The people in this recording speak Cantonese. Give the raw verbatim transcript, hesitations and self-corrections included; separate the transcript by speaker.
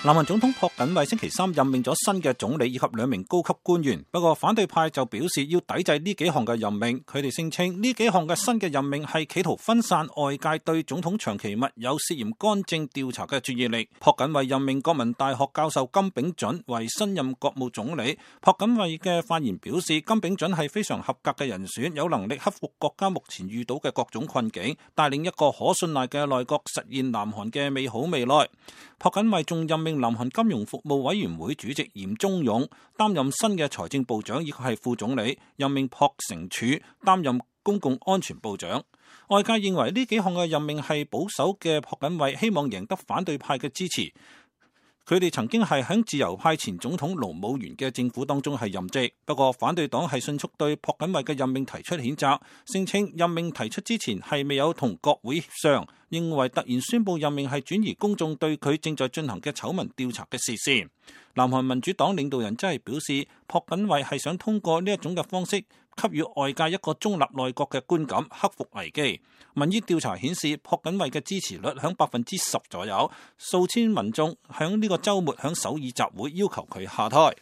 Speaker 1: 南韓總統朴槿惠星期三任命咗新嘅總理以及兩名高級官員，不過反對派就表示要抵制呢幾項嘅任命。佢哋聲稱呢幾項嘅新嘅任命係企圖分散外界對總統長期密友涉嫌干政調查嘅注意力。朴槿惠任命國民大學教授金炳准為新任國務總理。朴槿惠嘅發言表示，金炳准係非常合格嘅人選，有能力克服國家目前遇到嘅各種困境，帶領一個可信賴嘅內閣實現南韓嘅美好未來。朴槿惠仲任命南韓金融服務委員會主席嚴忠勇擔任新嘅財政部長，以及係副總理，任命朴成柱擔任公共安全部長。外界認為呢幾項嘅任命係保守嘅朴槿惠希望贏得反對派嘅支持。佢哋曾經係喺自由派前總統盧武鉉嘅政府當中係任職，不過反對黨係迅速對朴槿惠嘅任命提出譴責，聲稱任命提出之前係未有同國會協商，認為突然宣布任命係轉移公眾對佢正在進行嘅醜聞調查嘅視線。南韓民主黨領導人真係表示，朴槿惠係想通過呢一種嘅方式給予外界一個中立內閣嘅觀感，克服危機。民意調查顯示，朴槿惠嘅支持率響百分之十左右，數千民眾響呢個週末響首爾集會要求佢下台。